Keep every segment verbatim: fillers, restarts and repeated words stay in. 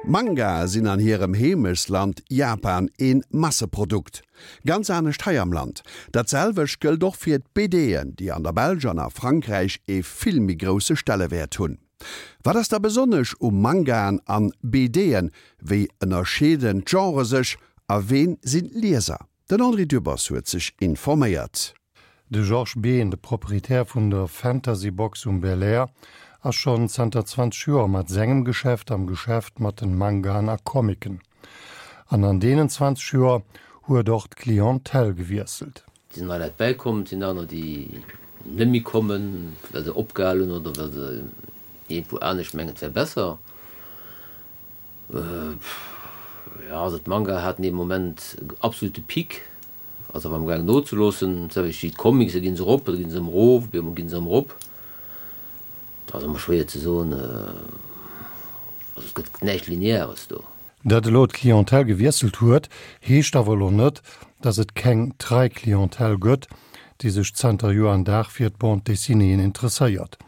Mangae sinn an hirem Heemechtsland Japan ee Masseprodukt. Ganz anescht hei am Land. Dat selwecht gëllt och fir d'BDen, déi an der Belsch an a Frankräich ee vill méi grousse Stellewäert hunn. Wat ass da besonnesch u Mangaen an BDen, wéi ënnerscheeden d'Genrë sech a ween sinn d'Lieser? Den André Dübbers huet sech informéiert. De Georges Behn, de Proprietär vun der Fantasy Box um Belair, ass schonn zanter zwanzeg Joer mat sengem Geschäft am Geschäft mat den Mangaen a Comicen. An an deenen zwanzeg Joer huet och d'Clientèle gewiesselt. Et sinn nei Leit bäikomm, et sinn aner, déi net méi kommen, well se opgehal hunn oder well se iergendwou anescht mengen, et wär besser. Jo, also d'Manga haten ee Moment absolute Peak, ass awer amgaangen nozeloossen, d'selwecht wéi d'Comics, da gi se erop, da gi se erëm erof, op eemol gi se erëm erop. Dat ass ëmmer schwéier ze soen, also et gëtt näischt Lineares do. Datt elo d'Clientèle gewiesselt huet, heescht awer elo net, datt et keng trei Clientèle gëtt, déi sech zanter Joer an Dag fir d'Bande dessinéeën interesséiert.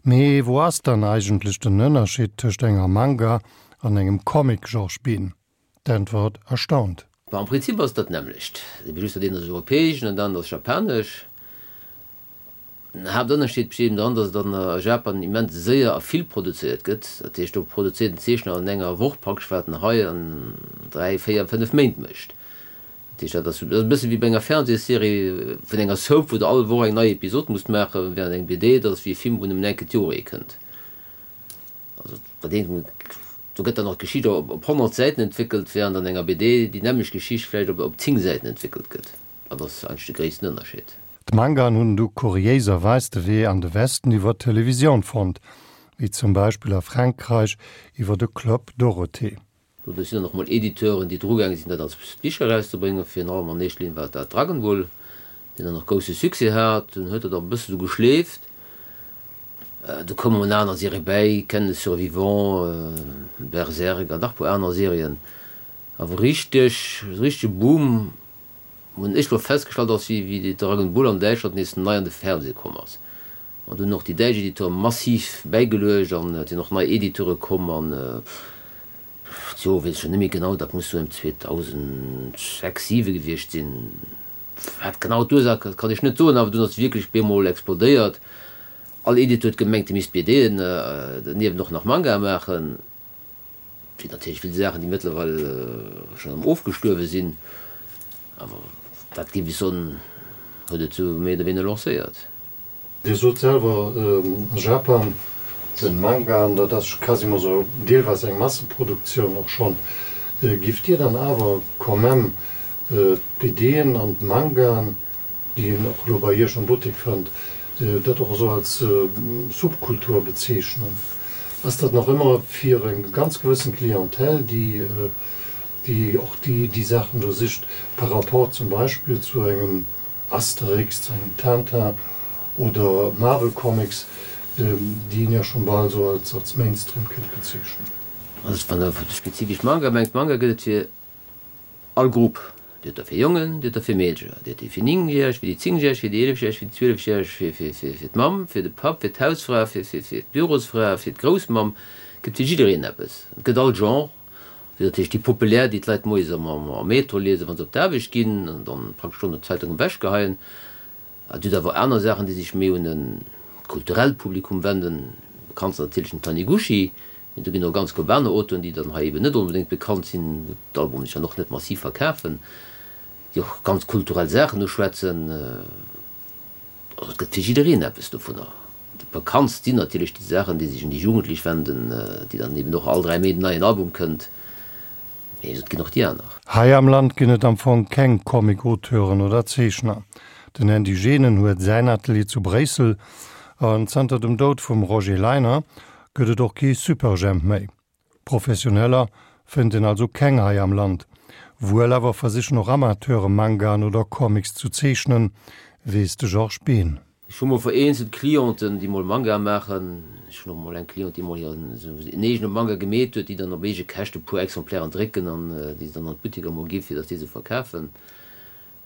Mee wou ass dann eigentlech den Ënnerscheed tëscht enger Manga an engem Comic, Georges Bihn? D'Äntwert erstaunt. Bon, am Prinzip ass et dat nämmlecht, just dat eent ass europäesch an dat anert ass japanesch. Den Haaptënnerscheed besteet eben dran, datt et an a Japan immens séier a vill produzéiert gëtt. Dat heescht, do produzéiert den Zeechner an enger Woch praktesch, wat en hei an dräi, véier, fënnef Méint mécht. Dat heescht, dat ass e bësse wéi bei enger Fernsehsserie vun enger Soap, wou Der all Woch eng nei Episod musst maachen, während eng B D, dat ass wéi e Film, wou nëmmen eng Kéier d'Joer ee kënnt. Also bei deem, do gëtt dann och d'Geschicht op honnert Säiten entwéckelt, während an enger B D déi nämmlecht Geschicht vläicht op zéng Säiten entwéckelt gëtt. Dat ass eigentlech de gréissten Ënnerscheed. D'Mangaen hunn du kuriéiserweis de Wee an de Westen iwwer d'Televisioun fonnt, wéi zum Beispill a Frankräich iwwer de Club Dorothée. Doduerch sinn dann och mol Editeuren, déi drugaange sinn, dat als Bicher erauszebréngen. Virun allem an éischter Linn war dat Dragon Ball, deen dann och grousse Succès hat. Dunn huet dat och e bësse sou geschleeft. Du koumen aner Serië bäi, Ken le Survivant, Berserk an nach e puer aner Serien. Awer richteg, richtege Boom hunn ech lo festgestallt ass, wéi wéi déi Dragon Ball an Däitschland nees nei an de Fernseh komm ass. An do hunn och déi däitsch Editeure massiv bäigeluecht an et sinn och nei Editeure komm an d'Joer weess ech scho net méi genau, dat muss sou ëm zweedausendsechs, siwe gewiescht sinn. Wat genau d'Ursaach ass, kann ech net soen, awer dunn ass et wierklech bemol explodéiert. All Editeur huet gemengt, e misst B D'en derniewent och nach Mangae maachen. Et sinn natierlech vill Saachen, déi mëttlerweil schonn erëm ofgestuerwe sinn, awer dat géif ech soen, huet et sou méi oder wéiner lancéiert. Dir sot selwer, a Japan sinn Mangaen, dat ass quasiment esou deelweis eng Masseproduktioun och schonn. Giff Dir dann awer quand même d'B D'en an d'Mangaen, déi een och elo bei Iech am Buttek fënnt, dat och esou als Subkultur bezeechnen? Ass dat nach ëmmer fir eng ganz gewëssen Clientèle, déi déi och déi déi Saachen do sicht, par rapport zum Beispill zu engem Asterix, zu engem Tintin oder Marvel Comics, déi een jo schonn bal esou als als Mainstream kéint bezeechnen? Also wann Der spezifesch Manga mengt, Manga gëtt et fir all Grupp. Dir hutt der fir Jongen, dir hutt der fir Meedercher, dir hutt déi fir Néngjäreg, fir déi Zéngjäreg, fir déi Eelefjäreg, fir déi Zwielefjäreg, fir fir fir fir d'Mamm, fir de Papp, fir d'Hausfra, fir fir fir d'Bürosfra, fir d'Groussmamm. Et gëtt fir jiddereen eppes. Et gëtt all Genre. Dir hutt natierlech déi populär, déi d'Leit moies am am Metro liesen, wa se op d'Aarbecht ginn an dann praktesch schonn d'Zeitung ewechgeheien. Et hutt awer aner Saachen, déi sech méi un e kulturellt Publikum wenden. Bekannt ass natierlech den Taniguchi, mee do ginn och ganz group aner Auteuren, déi dann hei eben net onbedéngt bekannt sinn, wou d'Albumen sech dann och net massiv verkafen, déi och ganz kulturell Saachen uschwätzen. Also et gëtt fir jiddereen eppes dovunner. Déi bekanntst sinn natierlech déi Saachen, déi sech un déi Jugendlech wenden, déi dann eben och all dräi Méint en neien Album kënnt, mee et ginn och déi aner. Hei am Land ginn et am Fong keng Comic-Auteuren oder Zeechner. Den Andy Genen huet säin Atelier zu Bréissel an zanter dem Doud vum Roger Leiner gëtt et och kee Superjhemp méi. Professioneller fënnt een also keng hei am Land. Wuel awer versichen och Amateure Mangaen oder Comics zu zeechnen, weess de Georges Bihn. Ech hu mol vereenzelt Clienten, déi mol Manga maachen. Ech hunn och mol eng Cliente, déi mol hiren en eegene Manga gemeet huet, déi dann op eege Käschte e puer Exemplairen drécken an déi se dann an d'Butteker mol gi fir datt déi se verkafen.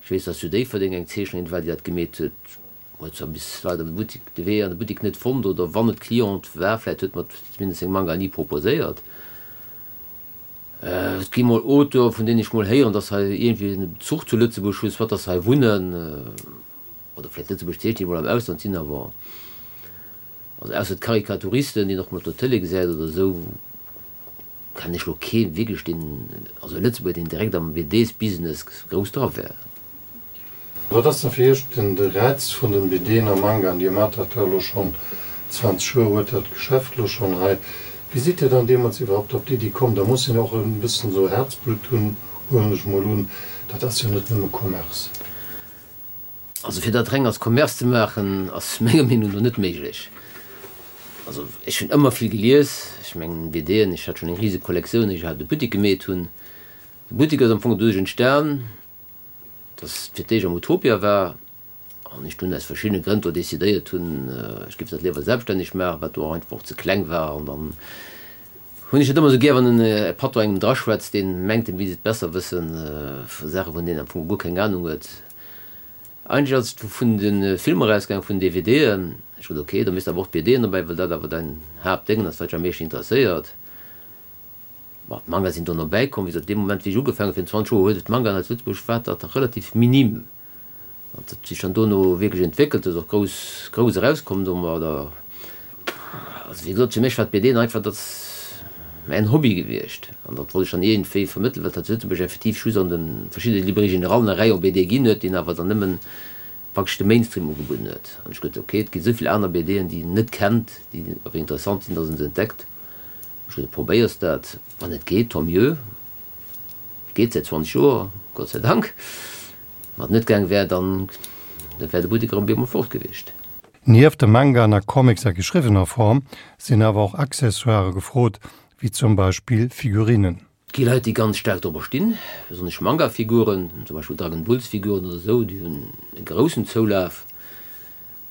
Ech weess, datt zu Déifferdeng eng Zeechnerin war, déi dat gemeet huet. Huet zwar bis leider de Buttek, de Wee an de Buttek net fonnt, oder wann et Cliente war, vläicht huet mer zumindest seng Manga ni proposéiert. Et gi mol Auteure vun deenen ech mol héieren, dass hei iergendwéi en Bezuch zu Lëtzebuerg hunn, soit dass se hei wunnen oder vläicht Lëtzebuerg zeechnen, déi mol am Ausland sinn, awer also ausser d'Karikaturisten, déi een och mol op der Tëlee gesäit oder esou, kennen ech lo kee wierklech deen, also e Lëtzebuerger, deen direkt am BDs-Business grouss dra wär. Wat ass dann fir Iech den de Räiz vun den BDen a Mangaen? Dir maacht dat jo elo schonn zwanzeg Joer, huet dat Geschäft elo schonn hei. Wéi sidd Dir dann deemools iwwerhaupt op d'Iddi komm? Da muss een jo och e bëssen esou Herzblutt hunn, huelen ech mol un. Dat ass jo net nëmme Commerce. Also fir dat reng als Commerce ze maachen, ass menger Meenung no net méiglech. Also ech hunn ëmmer vill gelies, ech mengen BDen, ech hat schonn eng rise Kollektioun, éier ech iwwerhaapt e Buttek gemeet hunn. De Buttek ass am Fong doduerch entstan, dass et fir d'éischt am Utopia war an ech dunn aus verschiddene Grënn do decidéiert hunn, ech géif dat léiwer selbststänneg maachen, wat do och einfach och ze kleng war. An dann hunn ech et ëmmer esou gär, wann e Patron engem draschwätzt, deen mengt, en misst et besser wëssen, vu Saache vun deenen en am Fong guer keng Anung huet. Eigentlech ass et vun de Filmer ausgaangen, vun den DVDen. Ech sot, ok, da misst awer och d'BDen dobäi, well dat awer däin Haaptdéngen ass, wat dech am meeschten interesséiert. Bon, d'Manga sinn dono bäikomm. Wéi gesot, dee Moment, wéi ech ugefaangen hunn, virun zwanzeg Joer, huet et Mangaen hei zu Lëtzebuerg, war dat relativ minim. An dat huet sech dann dono wierklech entwéckelt, ass och grouss, grouss erauskomm domadder. Also, wéi gesot, fir mech war d'BDen einfach, dat ass mäin Hobby gewiescht. An dat wollt ech dann iergendwéi vermëttelen, well et hei zu Lëtzebuerg effektiv just an de verschiddene Librairies générallen e Rayon B D ginn huet, deen awer dann nëmmen praktesch de Mainstream ugebudden huet. An ech gesot, ok, et gi esou vill aner B Den, déi een net kennt, déi awer interessant sinn, dass een se entdeckt. Ech gesot, probéiers dat, wann et geet, tant mieux. Et geet säit zwanzeg Joer, Gott sei Dank. Wann et net gaang wär, dann wär de Buttek erëm bemol fort gewiescht. Nieft de Mangaen a Comics a geschriwwener Form sinn awer och Accessoirë gefrot, wéi zum Beispill Figurinen. Et gi Leit, déi ganz staark dorobber stinn, besonnesch Manga-Figuren, zum Beispill Dragon Bulls-Figuren oder esou, déi hunn e groussen Zoulaf.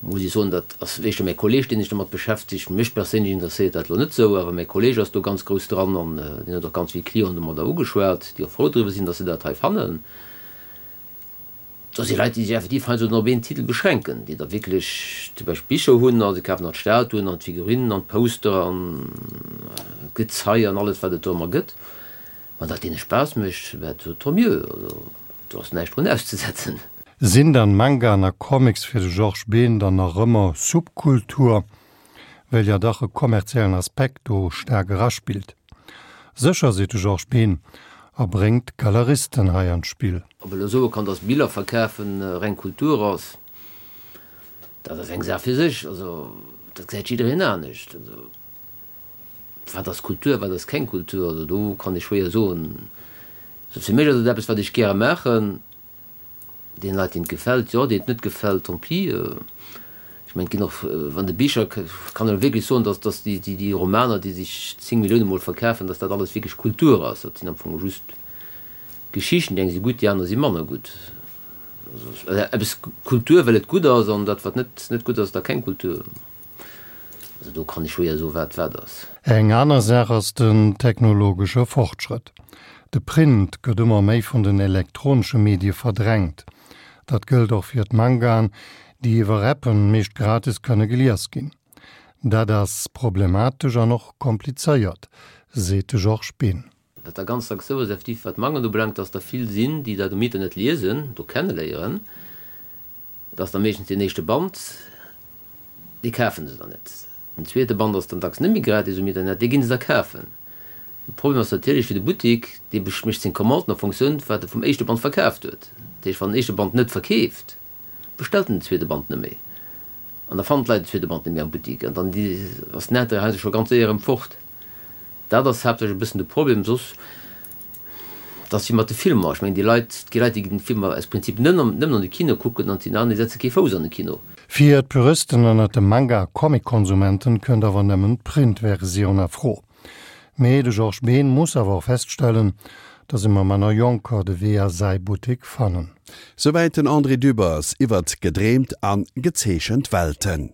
Muss ech soen, dat ass éischter mäi Kolleg, deen sech domat beschäftegt. Mech perséinlech interesséiert dat elo net esou, awer mäi Kolleg ass do ganz grouss dran an deen huet och ganz vill Clienten domadder ugeschwat, déi och frou driwwer sinn, dass se dat hei fannen. Do si Leit, déi sech effektiv heiansdo op een Titel beschränken, déi da wierklech zum Beispill Bicher hunn a se kafen nach d'Statuen an d'Figurinen an d'Poster an d'Gezei an alles, wat et do ëmmer gëtt. Wann dat deene Spaass mécht, ben tant mieux, also do ass näischt drun auszesetzen. Sinn dann Mangaen a Comics fir de Georges Behn dann nach ëmmer Subkultur, well jo dach e kommerziellen Aspekt do staark eraspillt? Sécher, seet de Georges Behn a bréngt d'Galeristen hei an d'Spill. Ob ee lo soe kann, dass Biller verkafen reng Kultur ass, dat ass eng Saach fir sech. Also dat gesäit jiddereen anescht. Also wat ass Kultur, wat ass keng Kultur? Also do kann ee schwéier soen. Also fir mech ass et eppes, wat ech gäre maachen. Deene Leit, deenen et gefält, jo, deenen et net gefält, tant pis. Ech mengen, et ginn och, wann de Bicher, kann een wierklech soen, datt datt déi déi Romaner, déi sech zéng Millioune mol verkafen, datt dat alles wierklech Kultur ass. Dat sinn am Fong just Geschichten, déi eng si gutt, déi aner si manner gutt. Also eppes Kultur, well et gutt ass, an dat, wat net net gutt ass, da keng Kultur. Also do kann ech schwéier soen, wat wat ass. Eng aner Saach ass den technologesche Fortschrëtt. De Print gëtt ëmmer méi vun den elektronesche Medie verdrängt. Dat gëllt och fir d'Mangaen, déi iwwer Appen meescht gratis kënne gelies ginn. Dat ass problematesch an och komplizéiert, seet de Georges Behn. Wat da ganz dacks sou ass, effektiv wat d'Mangaen ubelaangt, dass der vill sinn, déi dat um Internet liesen, do kenneléieren. Dat ass da meeschtens deen éischte Band, dee kafe se dann net. Den zweete Band ass dann dacks net méi gratis um Internet, dee ginn se da kafen. De Problem ass natierlech fir de Buttik, dee mécht seng Commanden a Fonctioun wat e vum éischte Band verkaaft huet. Dat heescht, wann den éischte Band net verkeeft, bestellt en den zweete Band net méi. An da fannen d'Leit den zweete Band net méi am Buttik an dann ass den Intérêt heiansdo scho ganz séier erëm fort. Dat ass haaptsächlech e bëssen de Problem. Soss, et ass wéi mat de Filmer. Ech mengen, déi Leit, et gi Leit, déi ginn d'Filmer aus Prinzip nëmmen an de Kino kucken an et sinn aner, déi setze kee Fouss an de Kino. Fir d'Puristen ënnert de Manga a Comic-Konsumenten kënnt awer nëmmen d'Print-Versioun a Fro. Mee de Georges Behn muss awer och feststellen, datt ëmmer manner Jonker de Wee a säi Buttek fannen. Souwäit den André Dübbers iwwert gedreemt a gezeechent Welten.